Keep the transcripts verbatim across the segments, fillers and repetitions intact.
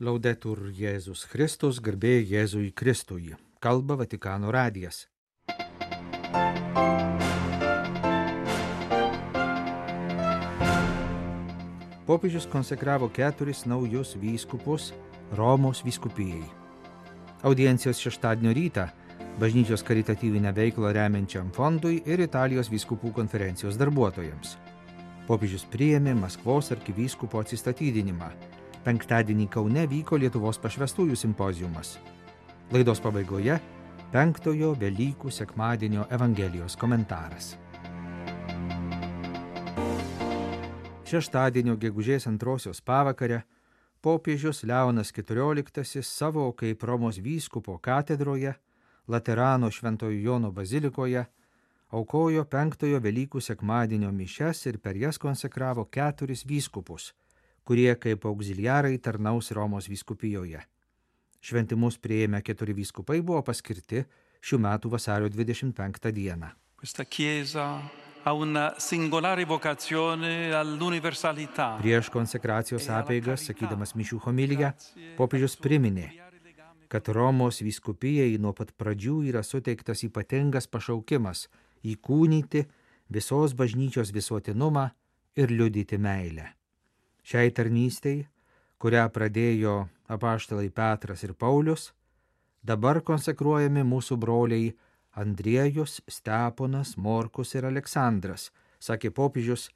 Laudetur Jėzus Kristus, garbė Jėzui Kristui. Kalba Vatikano radijas. Popiežius konsekravo keturis naujus vyskupus Romos vyskupijai. Audiencijos šeštadienio rytą bažnyčios karitatyvinę veiklą remiančiam fondui ir Italijos vyskupų konferencijos darbuotojams. Popiežius priėmė Maskvos arkivyskupo atsistatydinimą. Penktadienį Kaune vyko Lietuvos pašvestųjų simpoziumas. Laidos pabaigoje penktojo Velykų sekmadienio Evangelijos komentaras. Šeštadienio gegužės antrosios pavakarę popiežius Leonas keturioliktasis savo kaip Romos vyskupo katedroje, Laterano Šventojo Jono bazilikoje, aukojo penktojo Velykų sekmadienio mišias ir per jas konsekravo keturis vyskupus, kurie kaip auxiliarai tarnaus Romos vyskupijoje. Šventimus priėmę keturi vyskupai buvo paskirti šių metų vasario dvidešimt penktą dieną. Questa chiesa ha una singolare vocazione all'universalità. Prieš konsekracijos apeigas, sakydamas mišių homiliją, popiežius priminė, kad Romos vyskupijai nuo pat pradžių yra suteiktas ypatingas pašaukimas įkūnyti visos bažnyčios visuotinumą ir liudyti meilę. Šiai tarnystei, kurią pradėjo apaštalai Petras ir Paulius, dabar konsekruojami mūsų broliai Andriejus, Steponas, Morkus ir Aleksandras, sakė popiežius,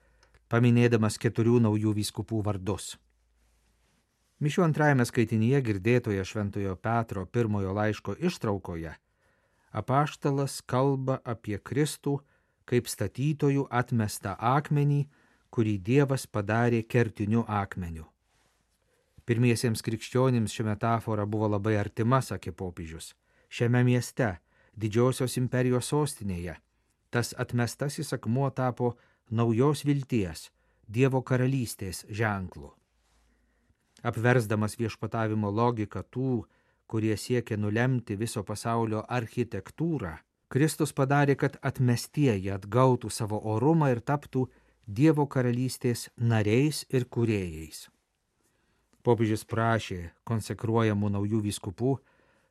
paminėdamas keturių naujų vyskupų vardus. Mišių antrajame skaitinyje girdėtoje Šventojo Petro pirmojo laiško ištraukoje apaštalas kalba apie Kristų kaip statytojų atmestą akmenį, kurį Dievas padarė kertiniu akmeniu. Pirmiesiems krikščionims ši metafora buvo labai artima, sakė popiežius. Šiame mieste, didžiosios imperijos sostinėje, tas atmestasis akmuo tapo naujos vilties, Dievo karalystės ženklu. Apversdamas viešpatavimo logiką tų, kurie siekia nulemti viso pasaulio architektūrą, Kristus padarė, kad atmestieji atgautų savo orumą ir taptų Dievo karalystės nariais ir kūrėjais. Popiežius prašė konsekruojamų naujų vyskupų,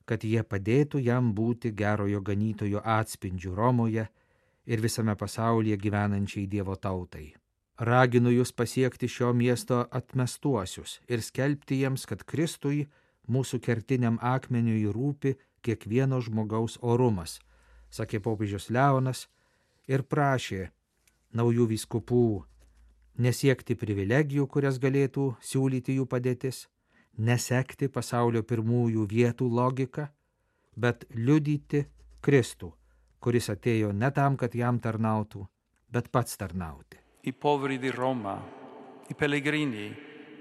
kad jie padėtų jam būti gerojo ganytojo atspindžiu Romoje ir visame pasaulyje gyvenančiai Dievo tautai. Raginu jūs pasiekti šio miesto atmestuosius ir skelbti jiems, kad Kristui, mūsų kertiniam akmeniui, rūpi kiekvieno žmogaus orumas, sakė popiežius Leonas ir prašė naujų vyskupų nesiekti privilegijų, kurias galėtų siūlyti jų padėtis, nesekti pasaulio pirmųjų vietų logiką, bet liudyti Kristų, kuris atėjo ne tam, kad jam tarnautų, bet pats tarnauti. I poveri di Roma, i pellegrini,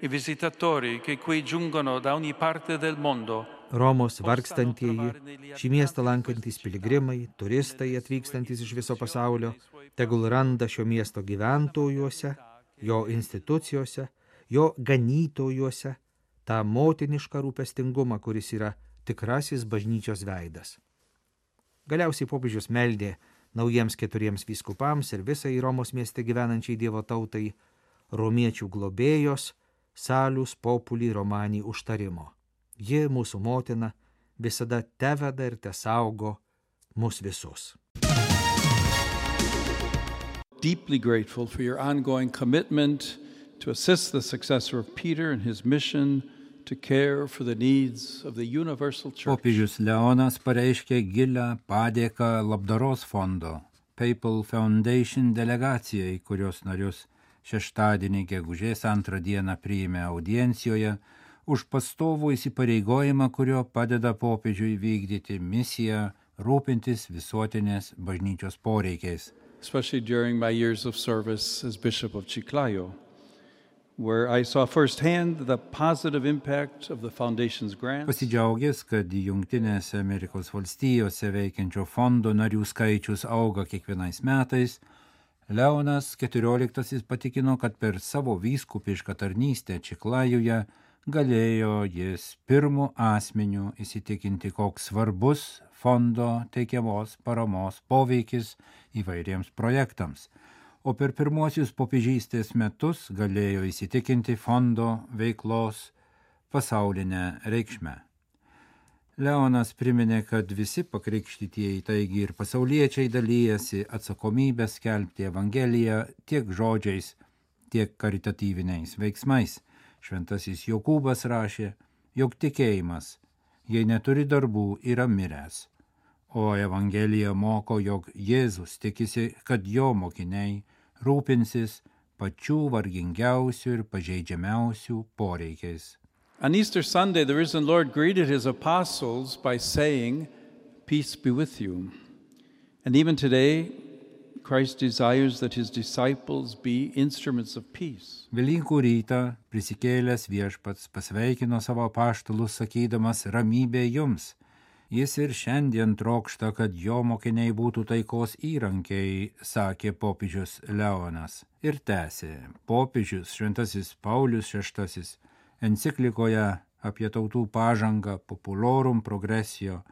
i visitatori che qui giungono da ogni parte del mondo. Romos vargstantieji, šį miestą lankantys piligrimai, turistai atvykstantys iš viso pasaulio, tegul randa šio miesto gyventojuose, jo institucijose, jo ganytojuose tą motinišką rūpestingumą, kuris yra tikrasis bažnyčios veidas. Galiausiai popiežius meldė naujiems keturiems vyskupams ir visai Romos mieste gyvenančiai Dievo tautai romiečių globėjos Salus Populi Romani užtarimo. Ji, mūsų motina, visada teveda ir tesaugo mus visus. Deeply grateful for your ongoing commitment to assist the successor of Peter in his mission to care for the needs of the universal church. Popiežius Leonas pareiškė gilią padėką labdaros fondo Papal Foundation delegacijai, kurios narius šeštadienį gegužės antrą dieną priėmė audiencijoje už pastovų įsipareigojimą, kurio padeda popiežiui vykdyti misiją rūpintis visuotinės bažnyčios poreikiais. Especially during my years of service as Bishop of Chiclayo, where I saw firsthand the positive impact of the foundation's grants. Pasidžiaugęs, kad Jungtinėse Amerikos valstijose veikiančio fondo narių skaičius auga kiekvienais metais, Leonas keturioliktasis patikino, kad per savo vyskupišką tarnystę Čiklajoje galėjo jis pirmu asmeniu įsitikinti, koks svarbus fondo teikiamos paramos poveikis įvairiems projektams, o per pirmuosius popiežystės metus galėjo įsitikinti fondo veiklos pasaulinę reikšmę. Leonas priminė, kad visi pakrikštytieji, taigi ir pasauliečiai dalyjasi atsakomybę skelbti Evangeliją tiek žodžiais, tiek karitatyviniais veiksmais. Šventasis Jokūbas rašė, jog tikėjimas, jei neturi darbų, yra miręs. O Evangelija moko, jog Jėzus tikisi, kad jo mokiniai rūpinsis pačių vargingiausių ir pažeidžiamiausių poreikiais. On Easter Sunday, the risen Lord greeted his apostles by saying, "Peace be with you." And even today, Christ desires that his disciples be instruments of peace. Velykų rytą prisikėlęs viešpats pasveikino savo apaštalus sakydamas ramybė jums. Jis ir šiandien trokšta, kad jo mokiniai būtų taikos įrankiai, sakė popiežius Leonas. Ir tęsė, popiežius Šventasis Paulius šeštasis enciklikoje apie tautų pažangą Populorum Progressio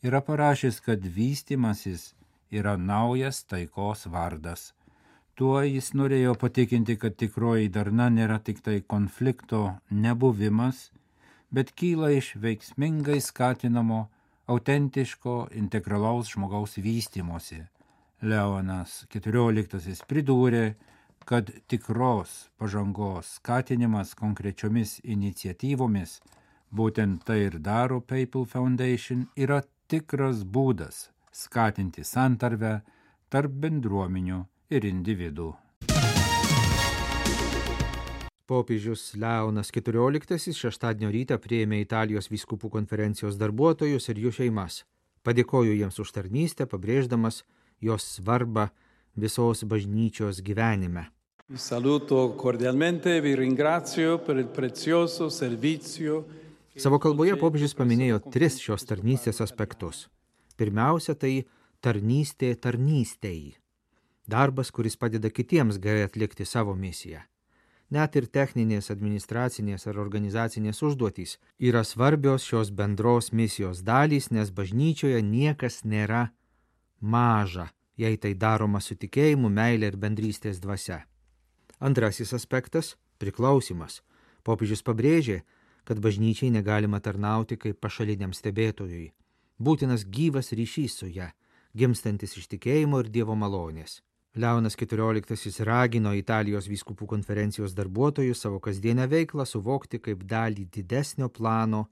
yra parašęs, kad vystimasis yra naujas taikos vardas. Tuo jis norėjo patikinti, kad tikroji darna nėra tik tai konflikto nebuvimas, bet kyla iš veiksmingai skatinamo, autentiško, integralaus žmogaus vystimosi. Leonas keturioliktasis pridūrė, kad tikros pažangos skatinimas konkrečiomis iniciatyvomis, būtent tai ir daro Papal Foundation, yra tikras būdas skatinti santarvę tarp bendruomenių ir individų. Popiežius Leonas keturioliktasis šeštadienio rytą priėmė Italijos vyskupų konferencijos darbuotojus ir jų šeimas. Padėkojo jiems už tarnystę, pabrėždamas jos svarbą visos bažnyčios gyvenime. Vi saluto cordialmente e vi ringrazio per il prezioso servizio. Savo kalboje popiežius paminėjo tris šios tarnystės aspektus. Pirmiausia, tai tarnystė tarnystei. Darbas, kuris padeda kitiems gerai atlikti savo misiją. Net ir techninės, administracinės ar organizacinės užduotys yra svarbios šios bendros misijos dalys, nes bažnyčioje niekas nėra maža, jei tai daroma su tikėjimu, meilė ir bendrystės dvasia. Antrasis aspektas – priklausimas. Popiežius pabrėžė, kad bažnyčiai negalima tarnauti kaip pašaliniam stebėtojui. Būtinas gyvas ryšys su ja, gimstantis iš tikėjimo ir Dievo malonės. Leonas keturioliktasis ragino Italijos vyskupų konferencijos darbuotojus savo kasdienę veiklą suvokti kaip dalį didesnio plano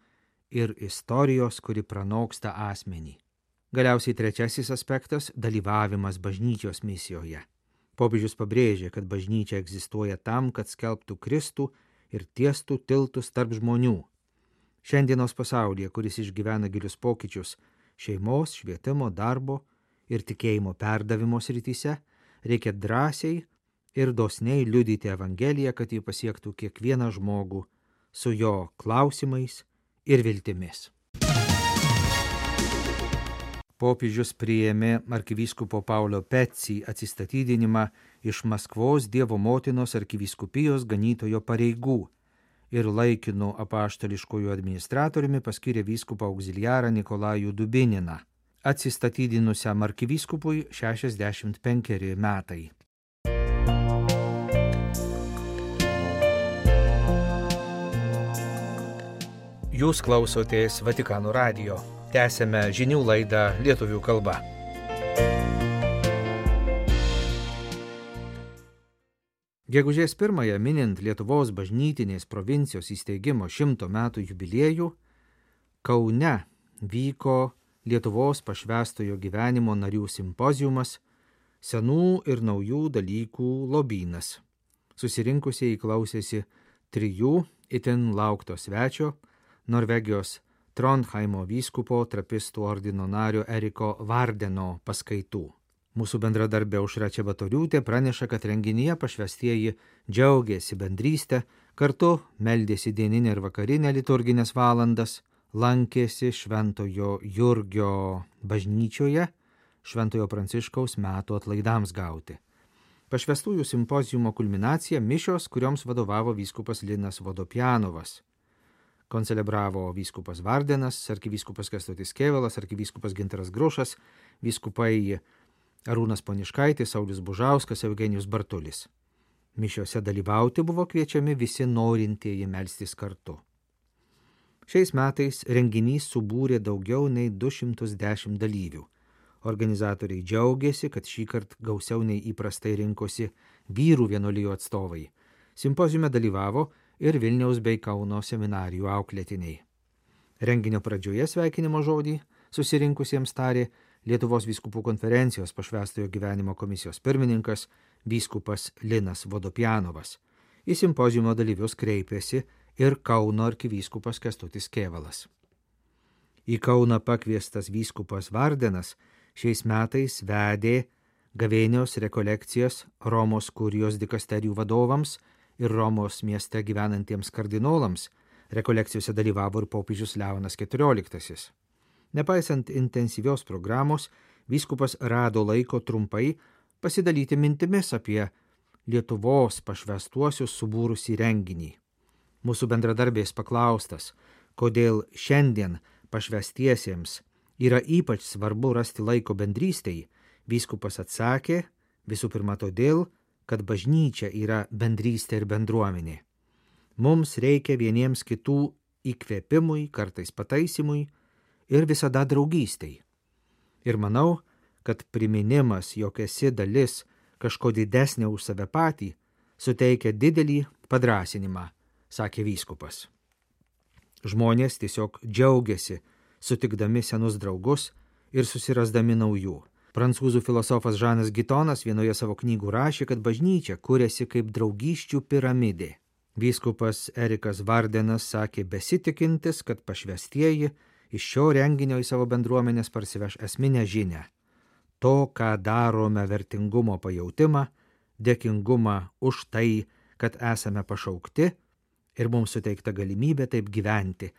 ir istorijos, kuri pranoksta asmenį. Galiausiai trečiasis aspektas – dalyvavimas bažnyčios misijoje. Popiežius pabrėžė, kad bažnyčia egzistuoja tam, kad skelbtų Kristų ir tiestų tiltus tarp žmonių. Šiandienos pasaulyje, kuris išgyvena gilius pokyčius šeimos, švietimo, darbo ir tikėjimo perdavimo srityse, reikia drąsiai ir dosniai liudyti Evangeliją, kad ji pasiektų kiekvieną žmogų su jo klausimais ir viltimis. Popiežius priėmė arkivyskupo Paulio Pecci atsistatydinimą iš Maskvos Dievo motinos arkivyskupijos ganytojo pareigų ir laikinu apaštališkojų administratoriumi paskyrė vyskupą auxiliarą Nikolajų Dubininą. Atsistatydinusiam arkivyskupui šešiasdešimt penkeri metai. Jūs klausotės Vatikano radijo. Tęsėme žinių laidą lietuvių kalba. Gegužės pirmąją minint Lietuvos bažnytinės provincijos įsteigimo šimto metų jubiliejų, Kaune vyko Lietuvos pašvęstojo gyvenimo narių simpoziumas senų ir naujų dalykų lobynas. Susirinkusieji klausėsi trijų itin laukto svečio, Norvegijos Trondheimo vyskupo trapistų ordino nario Eriko Vardeno paskaitų. Mūsų bendradarbė Aušra Čebatoriūtė praneša, kad renginyje pašvęstieji džiaugėsi bendrystę, kartu meldėsi dieninę ir vakarinę liturginės valandas, lankėsi Šventojo Jurgio bažnyčioje, Šventojo Pranciškaus metų atlaidams gauti. Pašvęstųjų simpoziumo kulminacija mišios, kurioms vadovavo vyskupas Linas Vodopjanovas. Koncelebravo vyskupas Vardenas, arkivyskupas Kęstutis Kėvalas, arkivyskupas Gintaras Grušas, vyskupai Arūnas Poniškaitis, Saulius Bužauskas, Eugenijus Bartulis. Mišiose dalyvauti buvo kviečiami visi norintieji melstis kartu. Šiais metais renginys subūrė daugiau nei du šimtus dešimt dalyvių. Organizatoriai džiaugiasi, kad šįkart gausiau nei įprastai rinkosi vyrų vienuolijų atstovai. Simpoziume dalyvavo ir Vilniaus bei Kauno seminarijų auklėtiniai. Renginio pradžioje sveikinimo žodį susirinkusiems tarė Lietuvos vyskupų konferencijos pašvęstojo gyvenimo komisijos pirmininkas vyskupas Linas Vodopjanovas. Į simpoziumo dalyvius kreipėsi ir Kauno arkivyskupas Kęstutis Kėvalas. Į Kauną pakviestas vyskupas Vardenas šiais metais vedė gavėnios rekolekcijas Romos kurijos dikasterijų vadovams ir Romos mieste gyvenantiems kardinolams. Rekolekcijose dalyvavo ir popiežius Leonas keturioliktasis. Nepaisant intensyvios programos, vyskupas rado laiko trumpai pasidalyti mintimis apie Lietuvos pašvęstuosius subūrusį renginį. Mūsų bendradarbės paklaustas, kodėl šiandien pašvęstiesiems yra ypač svarbu rasti laiko bendrystei, vyskupas atsakė, visų pirma todėl, kad bažnyčia yra bendrystė ir bendruomenė. Mums reikia vieniems kitų įkvėpimui, kartais pataisimui ir visada draugystei. Ir manau, kad priminimas, jog esi dalis kažko didesnio už save patį, suteikia didelį padrąsinimą, sakė vyskupas. Žmonės tiesiog džiaugiasi, sutikdami senus draugus ir susirasdami naujų. Prancūzų filosofas Žanas Gitonas vienoje savo knygų rašė, kad bažnyčia kuriasi kaip draugysčių piramidė. Vyskupas Erikas Vardenas sakė besitikintis, kad pašvęstieji iš šio renginio į savo bendruomenės parsiveš esminę žinią. To, ką darome vertingumo pajautimą, dėkingumą už tai, kad esame pašaukti ir mums suteikta galimybė taip gyventi,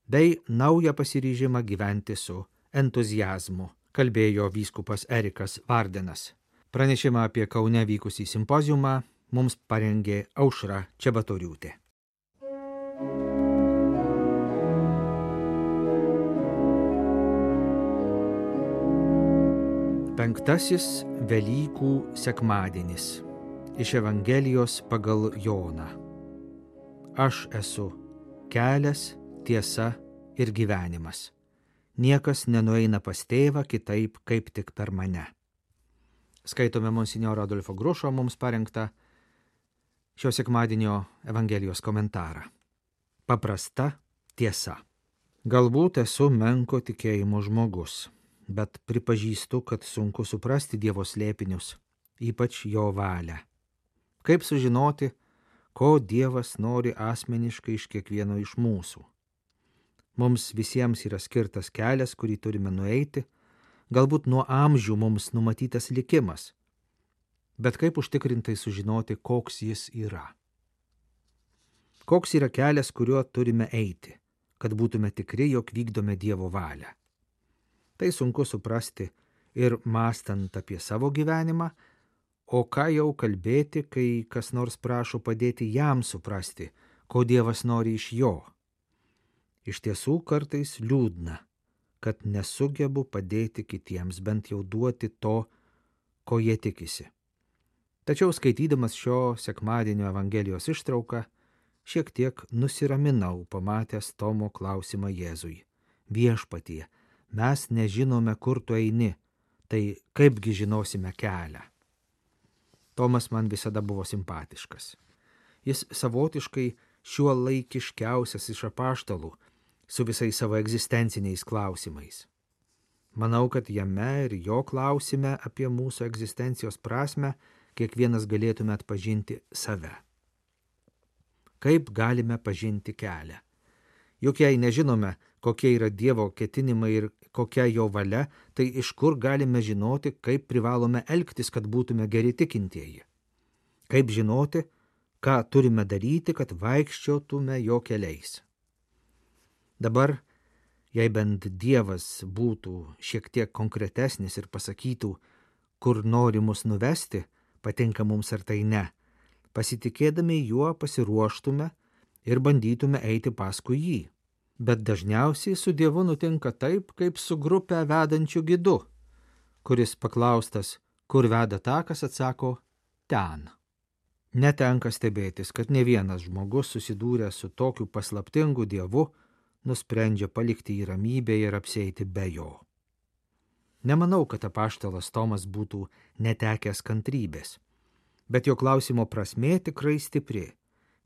bei naują pasiryžimą gyventi su entuziazmu, kalbėjo vyskupas Erikas Vardenas. Pranešimą apie Kaune vykusį simpoziumą mums parengė Aušra Čebatoriūtė. Penktasis Velykų sekmadienis iš Evangelijos pagal Joną. Aš esu kelias, tiesa ir gyvenimas. Niekas nenueina pas tėvą kitaip, kaip tik per mane. Skaitome monsinjoro Adolfo Grušo mums parengtą šio sekmadienio Evangelijos komentarą. Paprasta tiesa. Galbūt esu menko tikėjimo žmogus, bet pripažįstu, kad sunku suprasti Dievo slėpinius, ypač jo valią. Kaip sužinoti, ko Dievas nori asmeniškai iš kiekvieno iš mūsų? Mums visiems yra skirtas kelias, kurį turime nueiti, galbūt nuo amžių mums numatytas likimas. Bet kaip užtikrintai sužinoti, koks jis yra? Koks yra kelias, kuriuo turime eiti, kad būtume tikri, jog vykdome Dievo valią? Tai sunku suprasti ir mąstant apie savo gyvenimą, o ką jau kalbėti, kai kas nors prašo padėti jam suprasti, ko Dievas nori iš jo. Iš tiesų kartais liūdna, kad nesugebu padėti kitiems, bent jau duoti to, ko jie tikisi. Tačiau skaitydamas šio sekmadienio Evangelijos ištrauką, šiek tiek nusiraminau, pamatęs Tomo klausimą Jėzui. Viešpatie, mes nežinome, kur tu eini, tai kaipgi žinosime kelią. Tomas man visada buvo simpatiškas. Jis savotiškai šiuo laikiškiausias iš apaštalų, su visais savo egzistenciniais klausimais. Manau, kad jame ir jo klausime apie mūsų egzistencijos prasmę kiekvienas galėtume atpažinti save. Kaip galime pažinti kelią? Juk jei nežinome, kokie yra Dievo ketinimai ir kokia jo valia, tai iš kur galime žinoti, kaip privalome elgtis, kad būtume geri tikintieji? Kaip žinoti, ką turime daryti, kad vaikščiotume jo keliais? Dabar, jei bent Dievas būtų šiek tiek konkretesnis ir pasakytų, kur nori mus nuvesti, patinka mums ar tai ne, pasitikėdami juo pasiruoštume ir bandytume eiti paskui jį. Bet dažniausiai su Dievu nutinka taip, kaip su grupė vedančių gidu, kuris paklaustas, kur veda takas, atsako, ten. Netenka stebėtis, kad ne vienas žmogus susidūręs su tokiu paslaptingu Dievu nusprendžia palikti jį ramybėje ir apsieiti be jo. Nemanau, kad apaštalas Tomas būtų netekęs kantrybės, bet jo klausimo prasmė tikrai stipri.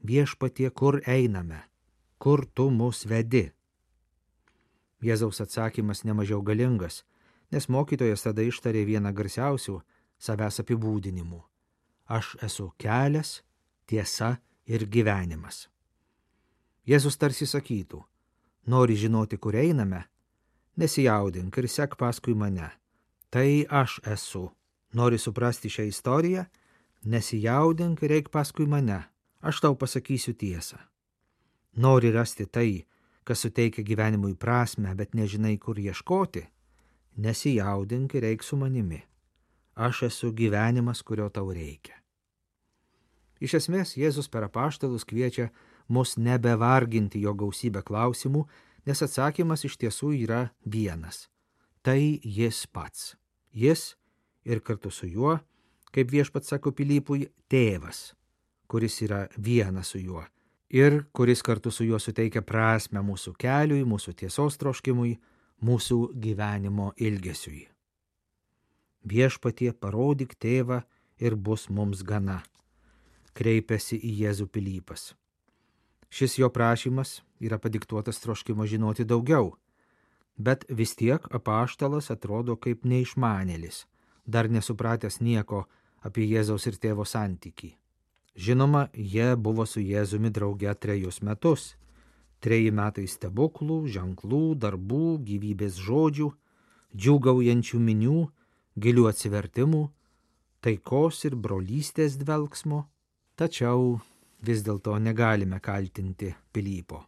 Viešpatie, kur einame? Kur tu mus vedi? Jėzaus atsakymas nemažiau galingas, nes mokytojas tada ištarė vieną garsiausių savęs apibūdinimų. Aš esu kelias, tiesa ir gyvenimas. Jėzus tarsi sakytų, nori žinoti, kur einame? Nesijaudink ir sek paskui mane. Tai aš esu. Nori suprasti šią istoriją? Nesijaudink ir eik paskui mane. Aš tau pasakysiu tiesą. Nori rasti tai, kas suteikia gyvenimui prasmę, bet nežinai, kur ieškoti? Nesijaudink ir eik su manimi. Aš esu gyvenimas, kurio tau reikia. Iš esmės, Jėzus per apaštalus kviečia mus nebevarginti jo gausybę klausimų, nes atsakymas iš tiesų yra vienas. Tai jis pats. Jis ir kartu su juo, kaip viešpats sako Pilypui, tėvas, kuris yra vienas su juo ir kuris kartu su juo suteikia prasmę mūsų keliui, mūsų tiesos troškimui, mūsų gyvenimo ilgesiui. Viešpatie, parodyk tėvą ir bus mums gana, kreipėsi į Jėzų Pilypas. Šis jo prašymas yra padiktuotas troškimo žinoti daugiau, bet vis tiek apaštalas atrodo kaip neišmanėlis, dar nesupratęs nieko apie Jėzaus ir tėvo santykį. Žinoma, jie buvo su Jėzumi drauge trejus metus. Treji metai stebuklų, ženklų, darbų, gyvybės žodžių, džiūgaujančių minių, gilių atsivertimų, taikos ir brolystės dvelksmo. Tačiau vis dėlto negalime kaltinti Pilypo.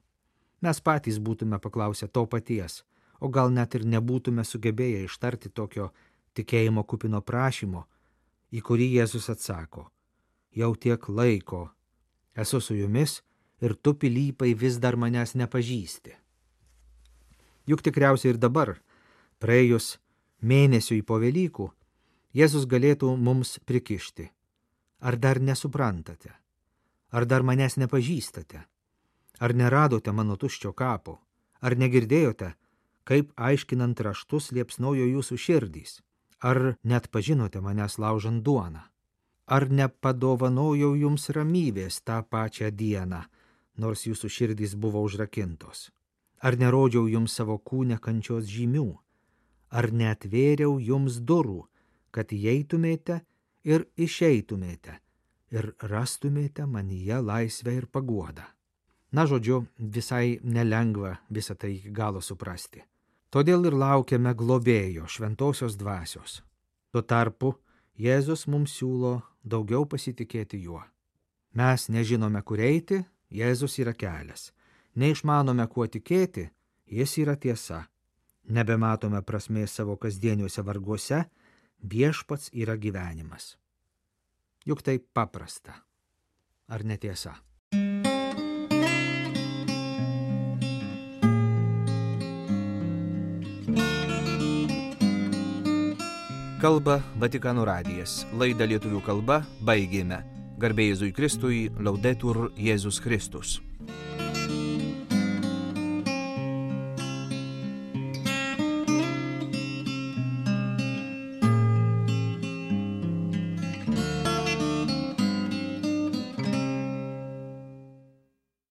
Mes patys būtume paklausę to paties, o gal net ir nebūtume sugebėję ištarti tokio tikėjimo kupino prašymo, į kurį Jėzus atsako. Jau tiek laiko esu su jumis ir tu, Pilypai, vis dar manęs nepažįsti. Juk tikriausiai ir dabar, praėjus mėnesiui po Velykų, Jėzus galėtų mums prikišti. Ar dar nesuprantate? Ar dar manęs nepažįstate? Ar neradote mano tuščio kapo? Ar negirdėjote, kaip aiškinant raštus liepsnojo jūsų širdys? Ar net pažinote manęs laužant duoną? Ar nepadovanojau jums ramybės tą pačią dieną, nors jūsų širdys buvo užrakintos? Ar nerodžiau jums savo kūne kančios žymių? Ar neatvėriau jums durų, kad įeitumėte ir išeitumėte ir rastumėte manyje laisvę ir paguodą? Na, žodžiu, visai nelengva visą tai iki galo suprasti. Todėl ir laukiame globėjo, šventosios dvasios. Tuo tarpu Jėzus mums siūlo daugiau pasitikėti juo. Mes nežinome, kur eiti, Jėzus yra kelias. Neišmanome, kuo tikėti, jis yra tiesa. Nebematome prasmės savo kasdieniuose varguose, viešpats yra gyvenimas. Juk tai paprasta. Ar netiesa? Kalba Vatikano radijas. Laidą lietuvių kalba baigėme. Garbė Jėzui Kristui, Laudetur Jėzus Kristus.